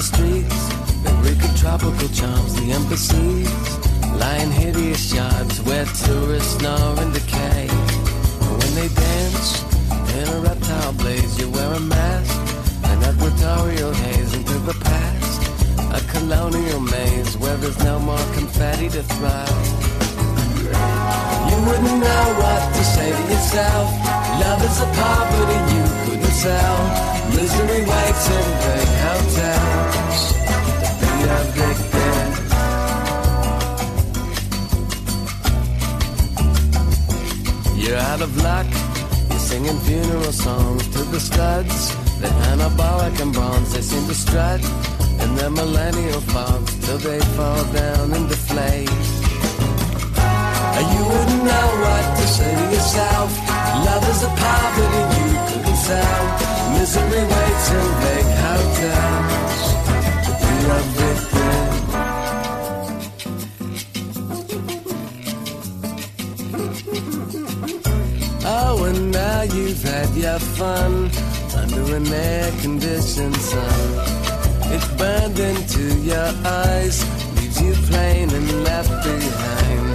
streets, the wicked tropical charms, the embassies, lying hideous shards where tourists snore and decay. And when they dance in a reptile blaze, you wear a mask, an equatorial haze into the past, a colonial maze where there's no more confetti to thrive. You wouldn't know what to say to yourself. Love is a poverty you couldn't sell. Misery waits in big hotels to be a victim. You're out of luck. You're singing funeral songs to the studs. They're anabolic and bronze. They seem to strut in their millennial fogs till they fall down and deflate. You wouldn't know what to say to yourself. Love is a poverty you couldn't sell. Misery waits in big hotels to be a victim. Oh, and now you've had your fun under an air-conditioned sun. It's burned into your eyes, leaves you plain and left behind.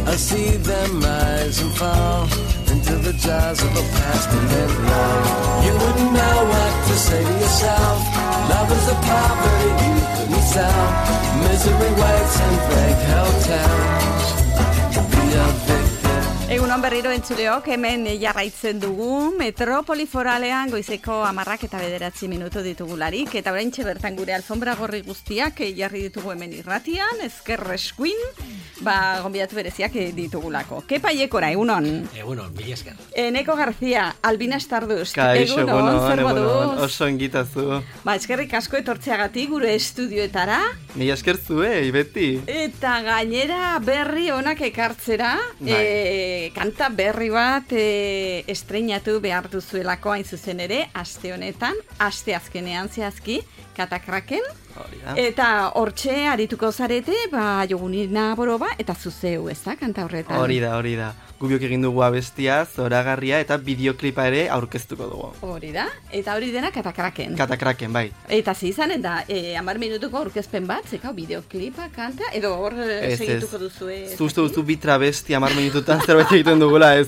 I see them rise and fall into the jaws of a passionate love. You wouldn't know what to say to yourself. Love is a poverty you couldn't sell. Misery waits in big hotels to be a victim. Egunon berriro entzuleok, hemen jarraitzen dugu Metropoli Foralean goizeko 10:09 ditugularik, eta oraintxe bertan gure alfombra gorri guztiak jarri ditugu hemen irratian, ezker eskuin, gonbidatu bereziak ditugulako. Kepa Iekora, egunon. Egunon, mila esker. Eneko Garzia, Albina Stardust, Kaixo, egunon, zer moduz? Oso ongitazu. Eskerrik asko etortzeagatik gure estudioetara. Mila esker zuei, beti. Eta gainera berri onak ekartzera, kanta berri bat estreinatu behar duzuelako hain zuzen ere, aste honetan, aste azkenean zehazki, Katakraken. Eta hortxe arituko zarete, Jogunina Boroba, eta zuzeu, ez da, kanta horretan? Hori da. Gubiok egin dugu abestia, zoragarria, eta bideoklipa ere aurkeztuko dugu. Hori da, eta hori dena Katakraken. Katakraken, bai. Eta izanen da, 10 minutuko aurkezpen bat, zekau, bideoklipa, kanta, edo hor segituko duzue? Zuzte duzu bitra besti 10 minututan zerbait egiten dugula, ez.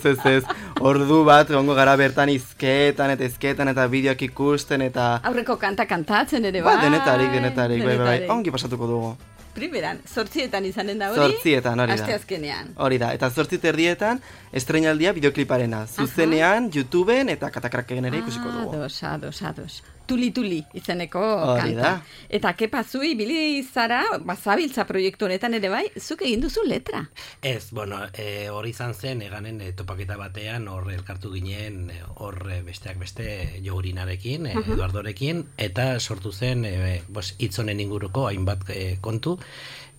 Ordu bat, gongo gara bertan izketan eta bideoak ikusten, eta... Aurreko kanta kantatzen ere, bai? Denetarik, bai. Ongi pasatuko dugu. Primeran, 8etan izanen da hori? 8etan, hori da. Aste azkenean. Hori da, eta 8:30 estreinaldia bideokliparena. Zuzenean, YouTubeen eta Katakraken ere ikusiko dugu. Ados. Tuli izeneko hori kanta. Da. Eta Kepa zui, bili zara, zabiltza proiektu honetan ere bai, zuk egin duzu letra. Ez, hori izan zen, eganen topaketa batean, hor elkartu ginen, hor besteak beste Jogurinarekin, Eduardorekin, eta sortu zen, hitzonen inguruko hainbat kontu,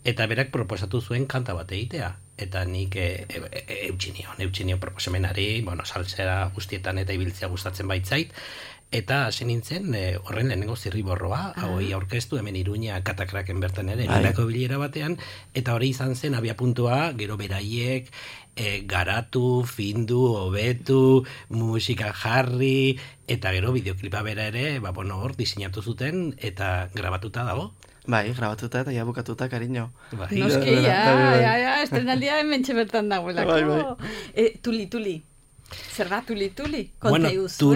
eta berak proposatu zuen kanta bat egitea. Eta nik eutxinio proposamenari, salsera guztietan eta ibiltzea gustatzen baitzait, eta hasi nintzen horren lehenengo zirriborroa, hori aurkeztu hemen Iruña Katakraken bertan ere, nirako bilera batean, eta hori izan zen abiapuntua, gero beraiek, garatu, findu, hobetu, musika jarri, eta gero bideoklipa bera ere, hor diseinatu zuten, eta grabatuta dago. Bai, grabatuta eta ja bukatuta, cariño. Noski, estrenaldia hementxe bertan dagoelako. Tuli. Zer da tuli? Konta iguzu,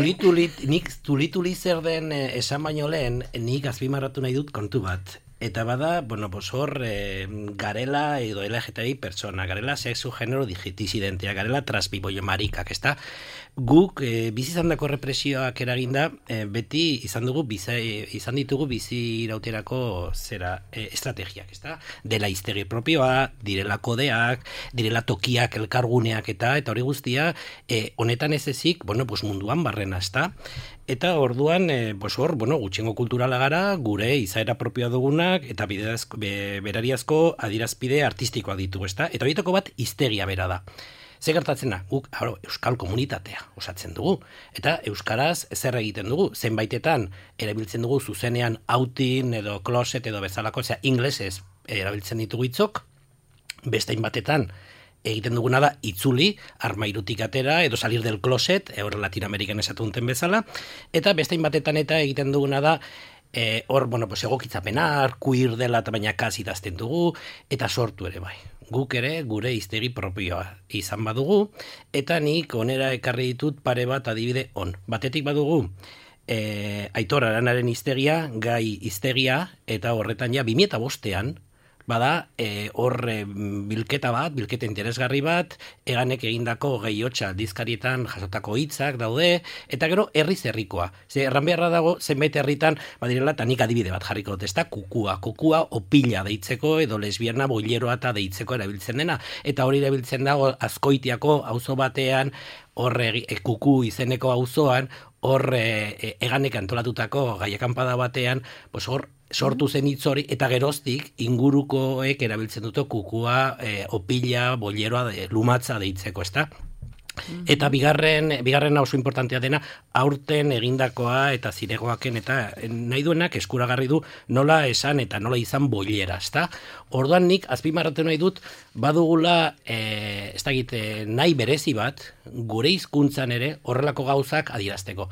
nik tuli zer den esan baino lehen, nik azpimarratu nahi dut kontu bat. Eta bada, hor garela edo LGTBI pertsona, garela sexu genero disidentea, garela transbiboio marikak, ez da? Guk bizizandako represioak eraginda, beti izan ditugu bizi irauterako estrategiak, ez da? Dela hiztegi propioa, direla kodeak, direla tokiak, elkarguneak eta hori guztia, honetan ez ezik, munduan barrena, ez da? Eta orduan, gutxiengo kulturala gara, gure izaera propioa dugunak, eta berariazko adirazpide artistikoa ditugu, ez da? Eta horietako bat hiztegia bera da. Ze gertatzen da, guk euskal komunitatea osatzen dugu, eta euskaraz zer egiten dugu, zenbaitetan erabiltzen dugu zuzenean outing edo closet edo bezalako, inglesez erabiltzen ditugu hitzok, bestein batetan egiten duguna da itzuli, armairutik atera edo salir del closet, hor Latinoamerikan esatunten bezala, eta bestein batetan eta egiten duguna da Hor, bueno, pues egokitzapenak, queer dela eta baina kas idazten dugu, eta sortu ere bai. Guk ere gure hiztegi propioa izan badugu, eta nik onera ekarri ditut pare bat adibide on. Batetik badugu, Aitor Aranaren hiztegia, gai hiztegia, eta horretan ja 2005ean, bada, bilketa interesgarri bat, Eganek egindako gehiotxa dizkarietan jasotako hitzak daude, eta gero herrikoa. Erran beharra dago, zenbait herritan, badirela, eta nik adibide bat jarriko dut, ezta kukua opila deitzeko, edo lesbiana boileroa eta deitzeko erabiltzen dena, eta hori erabiltzen dago Azkoitiako auzo batean, hor kuku izeneko auzoan, hor Eganek antolatutako gaiakanpada batean, hor sortu zen hitz hori, eta geroztik ingurukoek erabiltzen dute kukua, opila, boleroa, lumatza deitzeko, ezta? Eta bigarren oso importantea dena, aurten egindakoa eta ziregoaken, eta nahi duenak eskuragarri du nola esan eta nola izan bolera, ezta? Orduan nik azpimarratu nahi dut, badugula, ez dakit, nahi berezi bat, gure hizkuntzan ere horrelako gauzak adierazteko.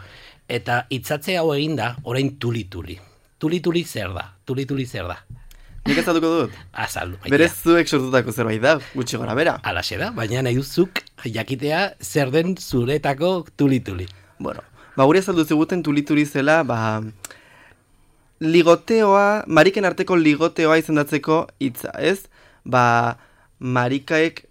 Eta hitzatze hau eginda, orain tuli-tuli. Tuli-tuli zer da? Nik ezatuko dut? Azaldu. Berez zuek sortutako zerbait da, gutxi gora bera. Alaxe da, baina nahi duzuk jakitea zer den zuretako tuli-tuli. Bueno, guri azaldu ziguten tuli-tuli zela, ligoteoa, mariken arteko ligoteoa izendatzeko hitza, ez? Marikaek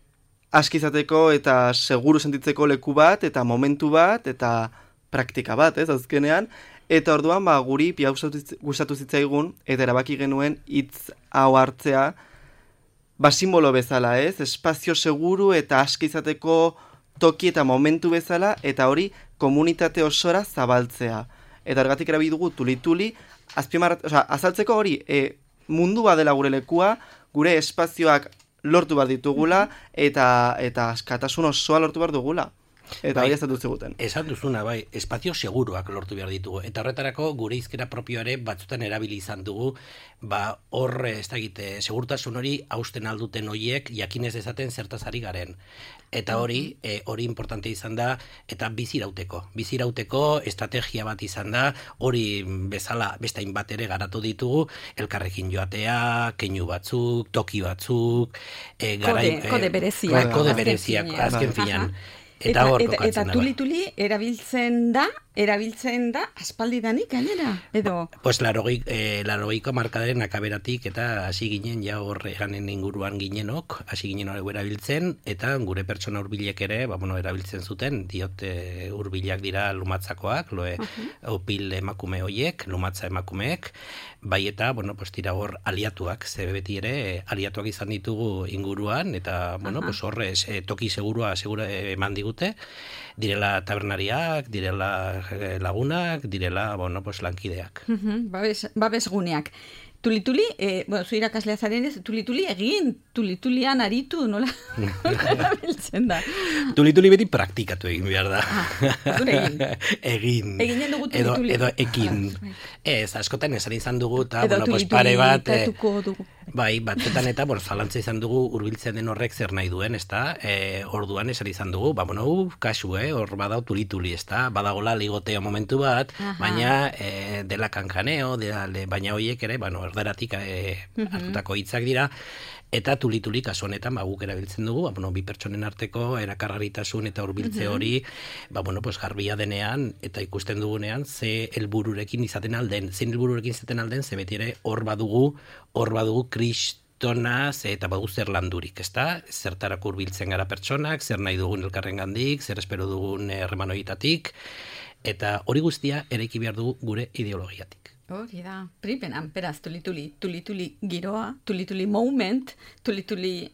aski izateko eta seguru sentitzeko leku bat, eta momentu bat, eta praktika bat, ez, azkenean. Eta orduan, guri pia gustatu zitzaigun, eta erabaki genuen hitz hau hartzea, simbolo bezala, ez? Espazio seguru eta aski izateko toki eta momentu bezala, eta hori komunitate osora zabaltzea. Eta ergatik erabili dugu tuli-tuli, azaltzeko hori, mundua dela gure lekua, gure espazioak lortu behar ditugula, eta askatasun osoa lortu behar dugula. Eta hori ezatu ziguten. Esan duzuna, bai, espazio seguruak lortu behar ditugu. Eta horretarako gure hizkera propioare batzutan erabili izan dugu, hor, ez da egite, segurtasun hori hausten alduten hoiek jakinez dezaten zertaz ari garen. Eta hori importante izan da, eta bizirauteko estrategia bat izan da, hori bezala bestain bat ere garatu ditugu, elkarrekin joatea, keinu batzuk, toki batzuk, kode bereziak, azken finan. Eta tuli-tuli erabiltzen da aspaldidanik gainera, edo? Pues larogeiko markadaren akaberatik eta hasi ginen, ja horre ganen inguruan ginenok, hasi ginen hori erabiltzen, eta gure pertsona hurbilek ere, erabiltzen zuten, diote hurbilak dira lumatzakoak, opil emakume hoiek, lumatza emakumeek, bai eta, tira hor aliatuak, ze beti ere aliatuak izan ditugu inguruan, eta, horre toki segurua eman digute, direla tabernariak, direla lagunak, direla, lankideak. Babesguneak. Tuli-tuli, zu irakaslea zarenez, tuli-tuli egin, tuli-tulian aritu, nola biltzen da? Tuli-tuli beti praktikatu egin behar da. Egin. Eginen dugu tuli-tuli. Edo ekin. Ez, askotan esan izan dugu, eta, pare bat... Bai, batzutan eta, zalantza izan dugu hurbiltzen den horrek zer nahi duen, ezta? Orduan esan izan dugu, kasu, hor badau tuli-tuli, ezta? Badagola ligoteo momentu bat, baina dela kankaneo, baina horiek ere, erderatik hartutako hitzak dira, eta tuli-tuli kasu honetan guk erabiltzen dugu, bi pertsonen arteko erakargarritasun eta hurbiltze hori, garbia denean, eta ikusten dugunean, ze helbururekin izaten alden, ze beti ere hor badugu kristonaz eta badu zer landurik, ezta? Zertarako hurbiltzen gara pertsonak, zer nahi dugun elkarrengandik, zer espero dugun harremanoitatik, eta hori guztia eraiki behar dugu gure ideologiatik. Hori da, pripenan, beraz, tuli-tuli giroa, tuli-tuli moment, tuli-tuli...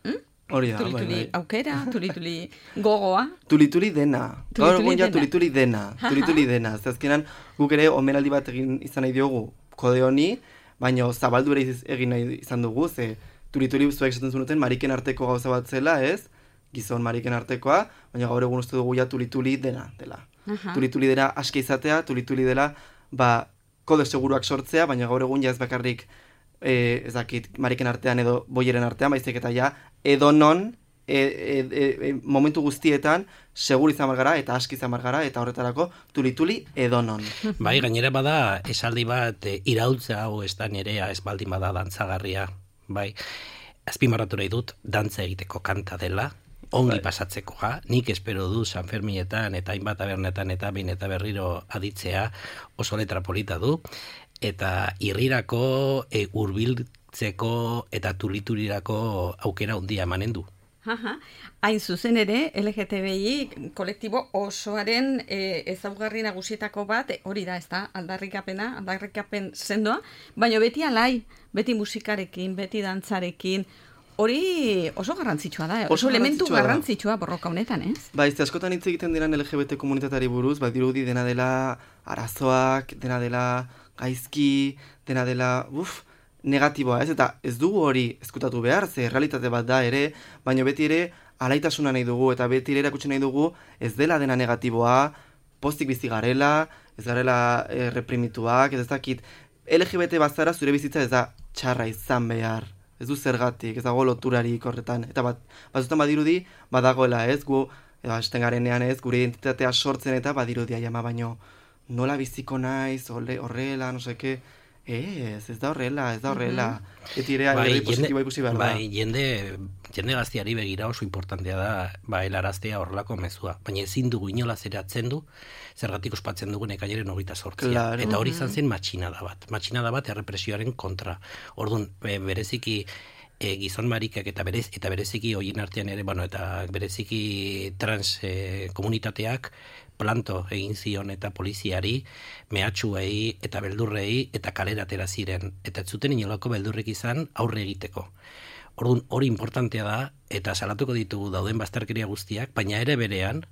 Hori da, tuli-tuli aukera, tuli-tuli gogoa. Tuli-tuli dena. Gaur egun ja tuli-tuli dena. Zazkenan, guk ere omenaldi bat egin izan nahi diogu kode honi, baina zabaldu ere egin nahi izan dugu, ze tuli-tuli zuek esaten zunuten mariken arteko gauza bat zela, ez? Gizon mariken artekoa, baina gaur egun uste dugu ja tuli-tuli dena dela. Tuli-tuli dena aske izatea, tuli-tuli dela, kode seguruak sortzea, baina gaur egun ja ez bakarrik ez dakit mariken artean edo boieren artean, baizik eta ja edonon momentu guztietan segur izan margara eta aski izan margara eta horretarako tuli-tuli edonon. Bai, gainera bada esaldi bat iraultza hau ez da nerea ez baldin bada dantzagarria. Bai, azpimarratu nahi dut dantza egiteko kanta dela, ongi pasatzeko, nik espero du San Ferminetan eta hainbat tabernetan eta behin eta berriro aditzea oso letra polita du, eta irrirako hurbiltzeko eta tuliturirako aukera handia emanen du. Hain zuzen ere, LGTBI kolektibo osoaren ezaugarri nagusietako bat, hori da, ez da, aldarrikapen sendoa, baina beti alai, beti musikarekin, beti dantzarekin, hori oso garrantzitsua da, oso elementu garrantzitsua borroka honetan, ez? Ba, ez askotan hitz egiten diran LGBT komunitatari buruz, ba, dirudi dena dela arazoak, dena dela gaizki, dena dela, negatiboa, ez? Eta ez dugu hori ezkutatu behar, ze realitate bat da ere, baina beti ere alaitasuna nahi dugu, eta beti ere erakutsi nahi dugu ez dela dena negatiboa, postik bizi garela, ez garela reprimituak, ez dakit, LGBT bazara zure bizitza ez da txarra izan behar, ez du zergatik, ez dago loturarik horretan, eta batzutan badirudi, badagoela ez, gu, esten garenean ez, gure identitatea sortzen eta badirudia jama, baino nola biziko naiz, horrela, no seke, ez da horrela. Beti ere alderdi positiboa ikusi behar da. Bai, jende gaztiari begira oso importantea da helaraztea horrelako mezua. Baina ezin dugu inolaz ere atzendu, zergatik ospatzen dugu ekainaren 28. Claro. Eta hori izan zen matxinada bat errepresioaren kontra. Orduan, bereziki gizon marikak eta bereziki horien artean ere, eta bereziki trans komunitateak planto egin zion eta poliziari, mehatxuei eta beldurrei eta kalera atera ziren. Eta ez zuten inolako beldurrik izan aurre egiteko. Orduan, hori importantea da, eta salatuko ditugu dauden bazterkeria guztiak, baina era berean,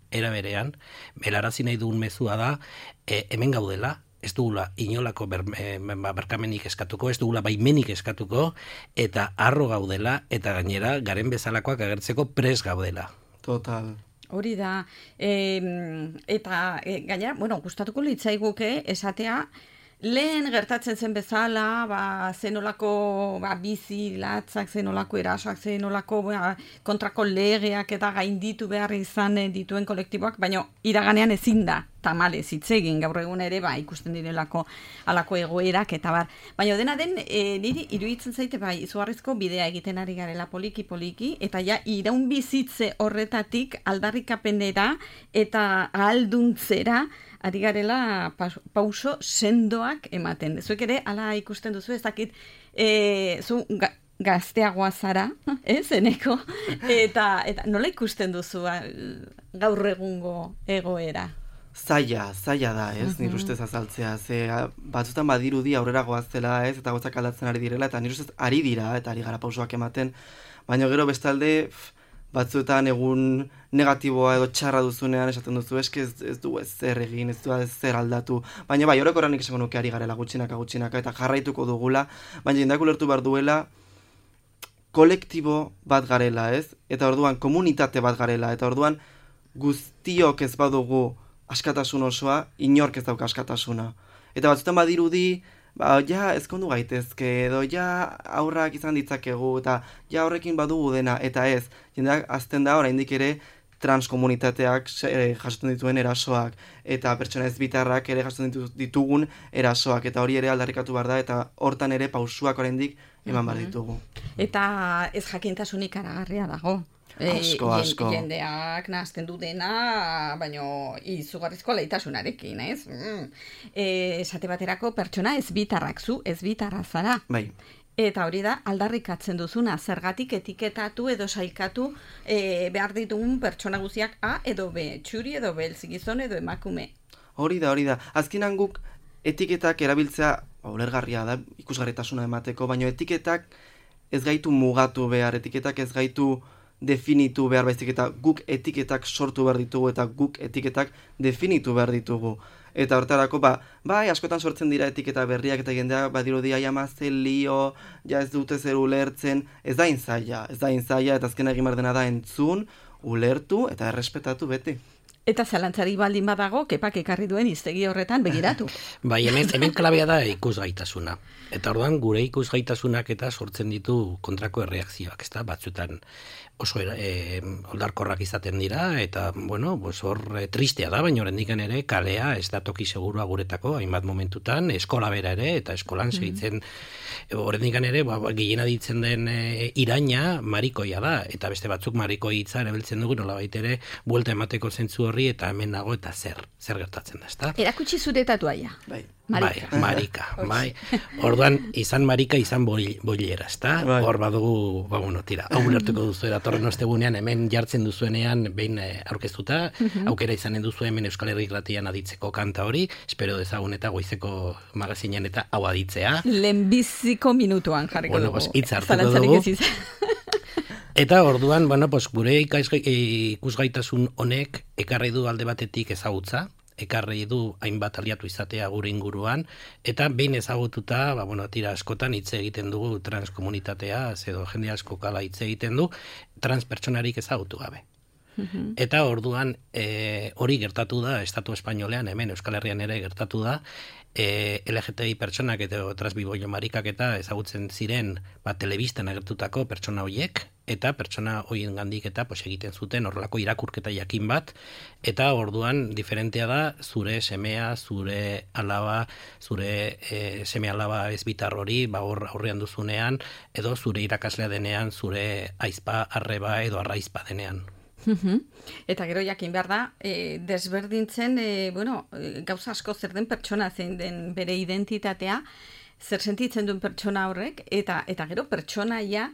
helarazi nahi dugun mezua da, hemen gaudela, ez dugula inolako berkamenik eskatuko, ez dugula baimenik eskatuko, eta harro gaudela, eta gainera garen bezalakoak agertzeko pres gaudela. Total. Hori da, eta gainera, gustatuko litzaiguke esatea, lehen gertatzen zen bezala, zenolako bizi latzak, zenolako erasoak, zenolako kontrako legeak eta gainditu behar izan dituen kolektiboak, baina iraganean ezin da, tamalez hitz egin gaur egun ere, ikusten direlako alako egoerak eta bar. Baina dena den, niri iruditzen zaite, izugarrizko bidea egiten ari garela poliki, eta ja iraun bizitze horretatik aldarrikapenera eta ahalduntzera ari garela pauso sendoak ematen. Zuek ere, ala ikusten duzu, ez dakit, zu gazteagoa zara, eneko, eta nola ikusten duzu gaur egungo egoera? Zaila da, ez, nire ustez azaltzea, ze batzutan badirudi aurrera goaztela, ez, eta gozak aldatzen ari direla, eta nire ustez ari dira, eta ari gara pausoak ematen, baina gero bestalde, batzuetan egun negatiboa edo txarra duzunean esaten duzu, eske ez du ez zer egin, ez du ez zer aldatu, baina orokorra nik esango nuke ari garela gutxinaka, eta jarraituko dugula, baina jendeak ulertu behar duela, kolektibo bat garela, ez, eta orduan komunitate bat garela, eta orduan guztiok ez badugu askatasun osoa, inork ez dauka askatasuna. Eta batzutan badirudi, ezkondu gaitezke, edo aurrak izan ditzakegu, eta horrekin badugu dena, eta ez, jendeak azten da oraindik ere transkomunitateak jasotzen dituen erasoak, eta pertsona ezbitarrak ere jasotzen ditugun erasoak, eta hori ere aldarrikatu behar da, eta hortan ere pausuak oraindik eman behar ditugu. Eta ez jakintasunik aragarria dago. Asko. Jendeak nahazten du dena, baino izugarrizko alaitasunarekin, ez? Esate baterako pertsona ezbitarrak zu, ezbitarra zara. Bai. Eta hori da, aldarrikatzen duzuna, zergatik etiketatu edo sailkatu behar ditugun pertsona guztiak A edo B, txuri edo beltz, gizon edo emakume. Hori da. Azkenan guk etiketak erabiltzea, ulergarria da, ikusgarritasuna emateko, baino etiketak ez gaitu mugatu behar, etiketak ez gaitu definitu behar baizik, eta guk etiketak sortu behar ditugu, eta guk etiketak definitu behar ditugu. Eta hortarako, askotan sortzen dira etiketa berriak, eta jendeak badirudia jamazen lio, ez dute zer ulertzen, ez da inzaila, eta azken egin behar dena da entzun, ulertu eta errespetatu beti. Eta zalantzari baldin badago, kepak ekarri duen hiztegi horretan begiratu. Bai, hemen klabea da ikusgaitasuna. Eta orduan gure ikusgaitasunak eta sortzen ditu kontrako erreakzioak, ezta? Batzuetan oso oldarkorrak izaten dira, eta, bueno, hor tristea da, baina horrendikan ere kalea ez da toki segurua guretako, hainbat momentutan, eskola bera ere, eta eskolan segitzen, horrendikan ere, gehiena ditzen den iraina marikoia da, eta beste batzuk marikoi hitza erabiltzen dugu, nolabait ere, buelta emateko zentzu horri, eta hemen nago, eta zer gertatzen da, ezta? Erakutsi zure tatuaia. Bai. Marika, bai. Orduan, izan marika, izan boilera, ezta? Hor badugu, bueno, tira, hau ulertuko duzu, datorren ostegunean, hemen jartzen duzuenean, behin aurkeztuta, aukera izanen duzu hemen Euskal Herri Irratian aditzeko kanta hori, espero dezagun eta goizeko magazinean eta hau aditzea. Lehenbiziko minutuan jarriko dugu. Hitz hartuko dugu. Eta orduan, gure ikusgaitasun honek ekarri du alde batetik ezagutza, ekarri du hainbat aliatu izatea gure inguruan, eta behin ezagututa, tira askotan hitz egiten dugu transkomunitatea, edo jende asko kala hitz egiten du, transpertsonarik ezagutu gabe. Eta orduan hori gertatu da, Estatu Espainolean, hemen Euskal Herrian ere gertatu da, LGTBI pertsonak eta transbiboio marikak eta ezagutzen ziren telebistan agertutako pertsona horiek, eta pertsona horien gandik eta egiten zuten horrelako irakurketa jakin bat, eta orduan diferentea da zure semea, zure alaba, zure seme alaba ezbitar hori, aurrean duzunean, edo zure irakaslea denean, zure aizpa, arreba edo arraizpa denean. Eta gero jakin behar da, desberdintzen, gauza asko zer den pertsona, zein den bere identitatea, zer sentitzen duen pertsona horrek, eta gero pertsonaia,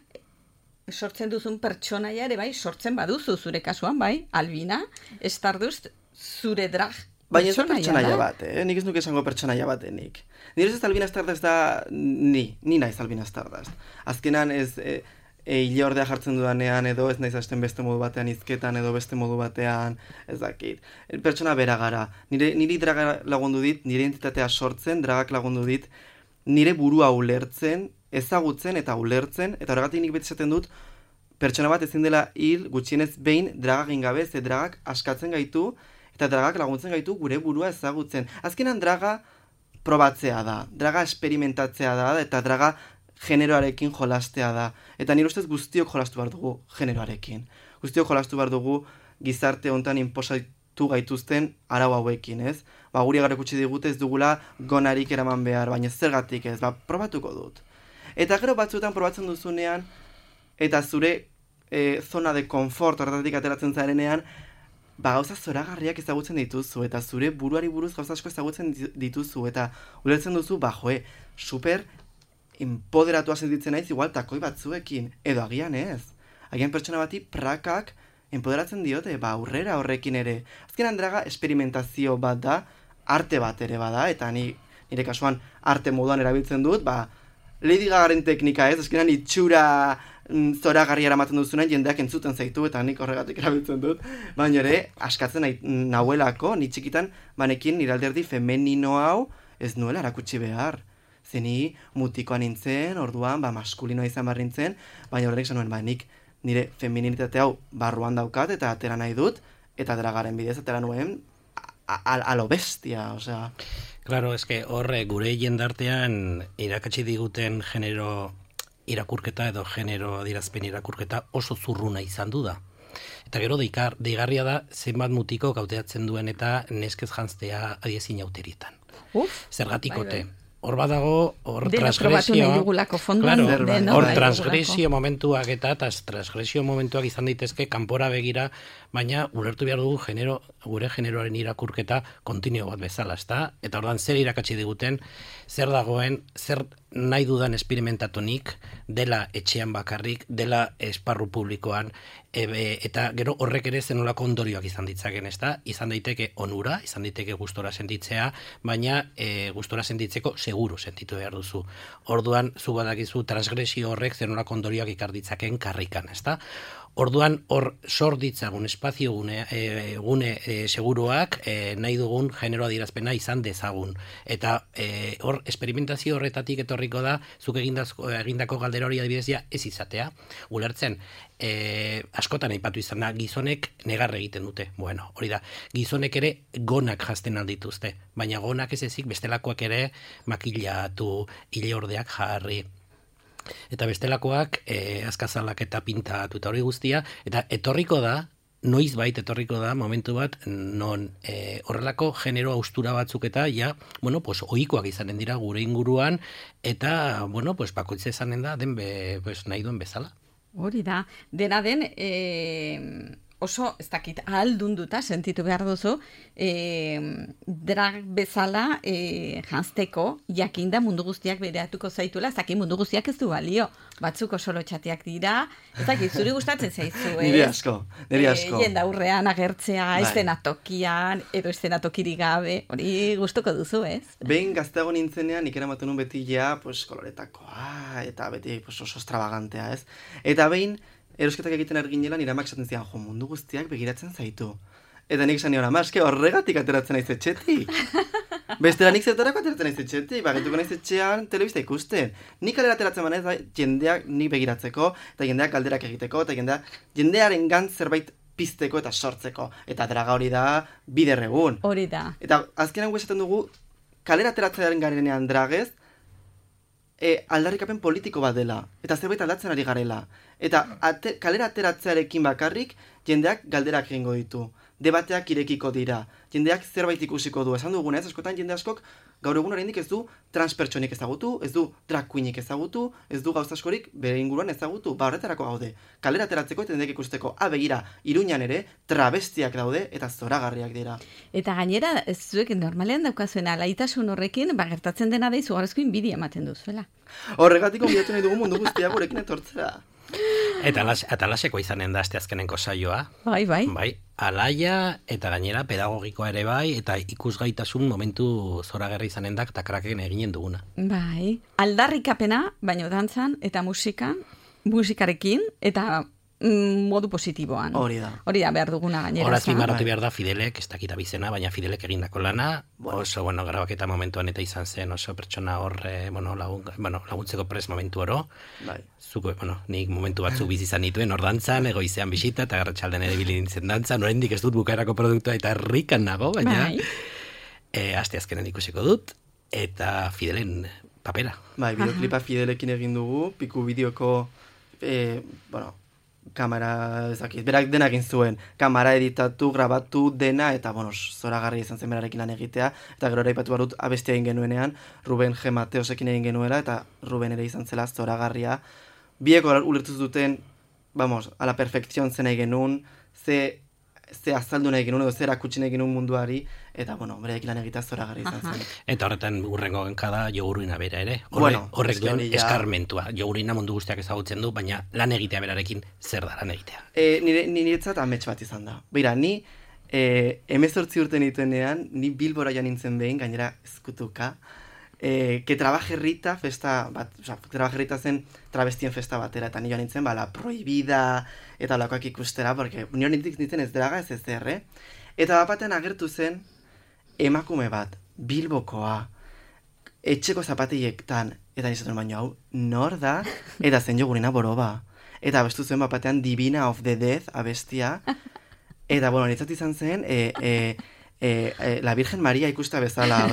sortzen duzun pertsonaia ere bai, sortzen baduzu zure kasuan, bai, Albina, Stardust, zure drag baina ez da pertsonaia bat, nik ez nuke esango pertsonaia batenik. Nire ez Albina Stardust da, ni naiz Albina Stardust. Azkenan ez... hile ordea jartzen dudanean, edo ez naiz hasten beste modu batean hizketan, edo beste modu batean, ez dakit. Pertsona bera gara. Niri draga lagundu dit, nire identitatea sortzen, dragak lagundu dit, nire burua ulertzen, ezagutzen eta ulertzen, eta horregatik nik beti esaten dut, pertsona bat ezin dela hil gutxienez behin dragak ingabe, ze dragak askatzen gaitu, eta dragak laguntzen gaitu gure burua ezagutzen. Azkenan draga probatzea da, draga esperimentatzea da, eta draga generoarekin jolastea da. Eta nire ustez guztiok jolastu behar dugu generoarekin. Guztiok jolastu behar dugu gizarte hontan inposatu gaituzten arau hauekin, ez? Guri erakutsi digute ez dugula gonarik eraman behar, baina zergatik ez, probatuko dut. Eta gero batzuetan probatzen duzunean, eta zure zona de konfort horretatik ateratzen zarenean, gauza zoragarriak ezagutzen dituzu, eta zure buruari buruz gauza asko ezagutzen dituzu, eta ulertzen duzu, super empoderatua sentitzen naiz igual takoi batzuekin, edo agian ez. Agian pertsona bati prakak empoderatzen diote, aurrera horrekin ere. Azkenan draga esperimentazio bat da, arte bat ere bada, eta nire kasuan arte moduan erabiltzen dut, Lady Gagaren teknika ez, azkenan itxura zoragarria eramaten duzunen jendeak entzuten zaitu, eta nik horregatik erabiltzen dut, baina ere, askatzen nahuelako, ni txikitan, banekin nire alderdi femenino hau ez nuela erakutsi behar. Zeni mutikoa nintzen, orduan, maskulinoa izan behar nintzen, baina horrek zanuen, nik nire femininitate hau barruan daukat, eta atera nahi dut, eta dragaren bidez atera nuen a lo bestia, osea. Claro, eske horre gure jendartean irakatsi diguten genero irakurketa edo genero adierazpen irakurketa oso zurruna izan du da. Eta gero deigarria da zenbat mutiko gauteatzen duen eta neskez janztea adiezin auterietan. Zergatikote. Hor badago, hor transgresioa, hor transgresio momentuak eta transgresio momentuak izan daitezke kanpora begira, baina ulertu behar dugu gure generoaren irakurketa kontinio bat bezala, ezta? Eta ordan zer irakatsi diguten, zer dagoen, zer nahi dudan esperimentatunik, dela etxean bakarrik, dela esparru publikoan, eta gero horrek ere zenolako ondorioak izan ditzaken, ezta? Izan daiteke onura, izan daiteke gustora sentitzea, baina gustora sentitzeko seguru sentitu behar duzu. Orduan, zu badakizu transgresio horrek zenolako ondorioak ikar ditzaken karrikan, ezta? Orduan, hor sor ditzagun espazio gune seguruak nahi dugun genero adierazpena izan dezagun. Eta hor, esperimentazio horretatik etorriko da, zuk egindako galdera hori adibidez ez izatea. Ulertzen, askotan aipatu izan da, gizonek negar egiten dute. Bueno, hori da, gizonek ere gonak jazten aldituzte, baina gonak ez ezik bestelakoak ere makillatu, ileordeak jarri. Eta bestelakoak azkazalak eta pintatu eta hori guztia, eta etorriko da, noizbait etorriko da momentu bat non horrelako genero austura batzuk eta ohikoak izanen dira gure inguruan eta bakoitza izanen da nahi duen bezala. Hori da, dena den oso, ez dakit, ahaldunduta sentitu behar duzu, drag bezala janzteko, jakinda mundu guztiak bereatuko zaituela, ez dakit mundu guztiak ez du balio, batzuk oso lotxatiak dira, ez dakit, zuri gustatzen zaizu, ez? Niri asko. Jenda aurrean agertzea, estenatokian, edo estenatokirik gabe, hori gustuko duzu, ez? Behin gazteago nintzenean, nik eramatu nun beti koloretakoa, eta beti oso extravagantea, ez? Eta behin, erosketak egiten arginela nire amak esaten zian, mundu guztiak begiratzen zaitu. Eta nik esan nion, amaske horregatik ateratzen naiz etxetik. Bestela nik zertarako ateratzen naiz etxetik, bagituko naiz etxean telebista ikusten. Nik kalera ateratzen manez jendeak ni begiratzeko, eta jendeak galderak egiteko, eta jendearen gantz zerbait pizteko eta sortzeko. Eta draga hori da biderregun. Hori da. Eta azkenan esaten dugu, kalera ateratzearen garenean dragez, aldarrikapen politiko bat dela, eta zerbait aldatzen ari garela. Eta kalera ateratzearekin bakarrik, jendeak galderak egingo ditu. Debateak irekiko dira. Jendeak zerbait ikusiko du. Esan duguna ez, askotan jende askok gaur egun oraindik ez du transpertsonik ezagutu, ez du drag queenik ezagutu, ez du gauza askorik bere inguruan ezagutu. Horretarako gaude. Kalera ateratzeko eta jendeak ikusteko. Begira, Iruñan ere travestiak daude eta zoragarriak dira. Eta gainera, zuek normalean daukazuen alaitasun horrekin, gertatzen dena da izugarrizko inbidia ematen duzuela. Horregatik onbidatu nahi dugu mundu guztia gurekin etortzera. Eta alaseko izanen da asteazkenenko saioa. Bai. Alaia eta gainera pedagogikoa ere bai, eta ikusgaitasun momentu zoragarri izanen da takraken eginen duguna. Bai. Aldarrikapena, baino dantzan eta musikarekin, eta modu positiboan. Hori da. Hori da behar duguna gainera. Horaz bimarratu behar da Fidelek, ez dakita bizena, baina Fidelek egindako lana, oso, grabaketa momentuan eta izan zen, oso pertsona hor, laguntzeko prest momentu oro. Bai. Zuko, nik momentu batzuk bizi izan dituen, hor dantzan, egoizean bisita, eta garratxalden ere bilintzen dantzan, oraindik ez dut bukaerako produktua eta herrikan nago, baina asteazkenen ikusiko dut, eta Fidelen papera. Bai, bideoklipa Fidelekin egin dugu, piku bideoko, kamera, ezakit, berak dena egin zuen, kamera editatu, grabatu, dena, eta, zoragarri izan zen berarekin lan egitea, eta gero eraipatu barut abestia egin genuenean, Ruben G. Mateosekin egin genuela, eta Ruben ere izan zela zoragarria. Bieko ulertu zuten, ala perfekzion zen egin genuen, ze azaldu nahi genuen, edo zer akutsi nahi genuen munduari, eta, berarekin lan egitea zoragarri izan zen. Eta horretan urrengo genkada jogurina bera ere. Horrek duen eskarmentua. Jogurina mundu guztiak ezagutzen du, baina lan egitea berarekin zer da lan egitea. Niretzat amets bat izan da. Beira, ni 18 urte nituenean, ni Bilbora joan nintzen behin, gainera ezkutuka, que Trabajerrita festa bat, Trabajerrita zen travestien festa batera, eta ni joan nintzen, la prohibida, eta lakoak ikustera, porque nio nintzen ez draga ez ezer, Eta batean agertu zen, emakume bat, Bilbokoa, etxeko zapateiektan, eta nizatzen baino hau, nor da, eta zen Jogurina Boroba. Eta abestu zuen batean Divina of the Death abestia, eta, nitzat izan zen, la Virgen Maria ikusta bezala,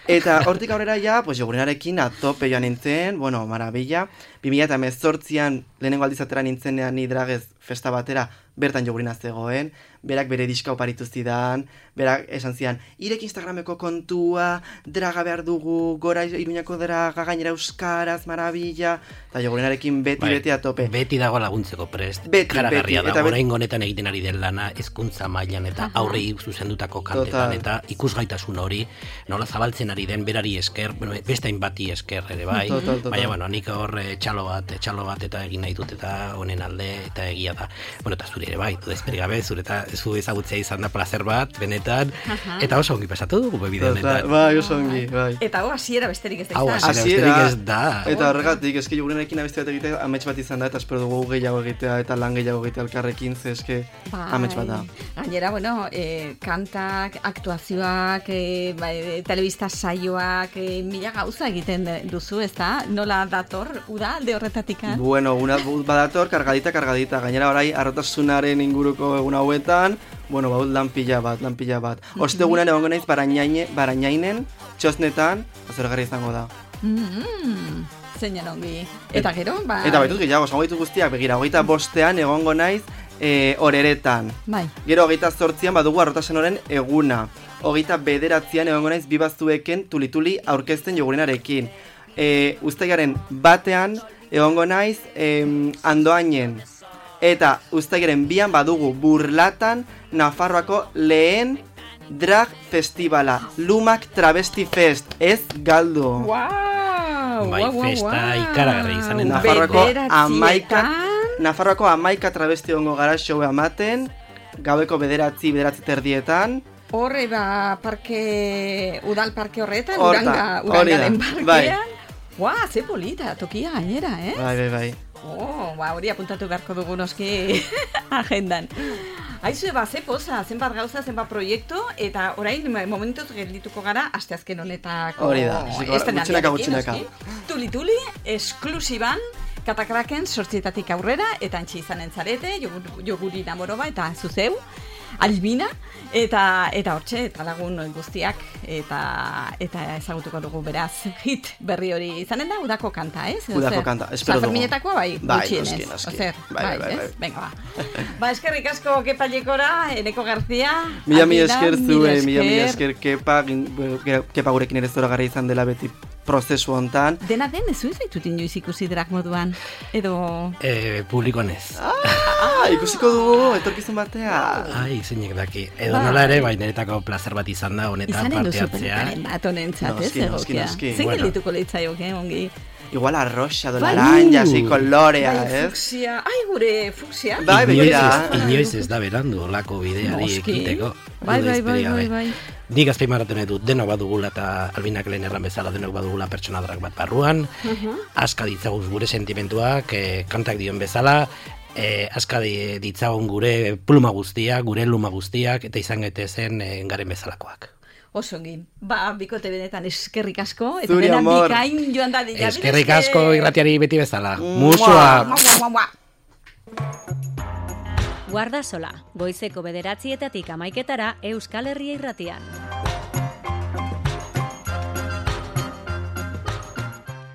eta hortik aurrera Jogurinarekin atope joan nintzen, marabilla, 2018an lehenengo aldizatera nintzenean ni dragez festa batera, bertan Jogurina zegoen, berak bere diska oparitu zidan, berak esan zidan, irek Instagrameko kontua, draga behar dugu, gora Iruñako draga, gainera euskaraz, marabilla, eta Jogurinarekin beti atope. Beti dago laguntzeko prest, karagarria da, orain honetan egiten ari den lana, hezkuntza mailan eta aurrei zuzendutako kantetan, eta ikusgaitasun hori, nola zabaltzen ari den berari esker, bestain bati esker ere bai, baina nik hor txalo bat eta egin nahi dut eta honen alde eta egia da. Eta zure ere bai, dudezperik gabe, zu ezagutzea izan da plazer bat, benetan, eta oso ongi pasatu dugu bebide honetan. Bai, oso ongi, bai. Eta hasiera besterik ez da Hau, izan. hasiera besterik ez da. Eta horregatik, eski Jogurenarekin abesti bat egitea amets bat izan da, eta espero dugu gehiago egitea, eta lan gehiago egitea elkarrekin, ze eske amets bat da. Gainera, bueno, kantak, aktuazioak, telebista saioak, mila gauza egiten duzu, ez da? Nola dator, uda, alde horretatik? Bueno, badator, kargadita, gainera orai arrotasunaren inguruko egun hauetan, bueno, baut lan pila bat. Ostegunean egongo naiz Barainainen, txosnetan, azergarri izango da. Zeinan ongi. Eta gero, Eta baitut gehiago, zango ditut guztiak, begira, 25ean egongo naiz Oreretan. Bai. Gero 28ean badugu arrotasenoren eguna. 29ean egongo naiz Bibazueken tulituli aurkezten Jogurenarekin. Uztailaren batean egongo naiz Andoainen. Eta uztailaren 2an badugu Burlatan Nafarroako lehen drag festivala, Lumak Travesti Fest, ez galdu. Bai, festa ikaragarri izanen da. Nafarroako 11 travesti egongo gara showa ematen, gaueko 9:30. Horre udal parke horretan, urangaren parkean. Bai. Ze polita, tokia gainera, Bai. Hori apuntatu beharko dugu noski agendan. Aizu, ze poza, zenbat gauza, zenbat proiektu, eta orain momentuz geldituko gara, asteazken honetako... Hori da, gutxinaka. Tuli, esklusiban, Katakraken 8:00 aurrera, eta antxe izanen zarete, Joguri Namoroba, eta zuzeu, Albina, eta hortxe, eta lagun guztiak, eta ezagutuko dugu beraz, hit berri hori izanen da, udako kanta, ez? Udako kanta, espero dugu. Sanferminetakoa bai, gutxienez. Bai, eskerrik asko Kepa Lekora, Eneko Garzia. Mila esker zue, mila esker Kepa gurekin ere zoragarri izan dela beti prozesu hontan. Dena den, ez zaitut inoiz ikusi drag moduan, edo... Publikonez. Ikusiko dugu, etorkizun batea. Ai, zeinek daki. Edo nola ere, baineretako plazer bat izan da, honetan parte hartzea. Izanen duzu bat honentzat, ez egokia. Noski. Zein geldituko leitzaioke, ongi? Igual arroxa, laranja, así, kolorea, ez? Fuksia, gure fuksia. Bai, begira. Inoiz ez da berandu, olako bideari ekiteko. Bai. Nik azpimarratu nahi dut, denok badugula eta Albinak lehen erran bezala denok badugula pertsona drag bat barruan, aska ditzaguz gure sentimentuak, kantak dion bezala, aska ditzagun gure pluma guztiak, gure luma guztiak, eta izan gaitezen garen bezalakoak. Osongi, bikote benetan eskerrik asko, eta Zuri, amor. Bikain joan da dira. Eskerrik asko irratiari beti bezala. Musua! Guardasola, goizeko 9:00 Euskal Herria Irratian.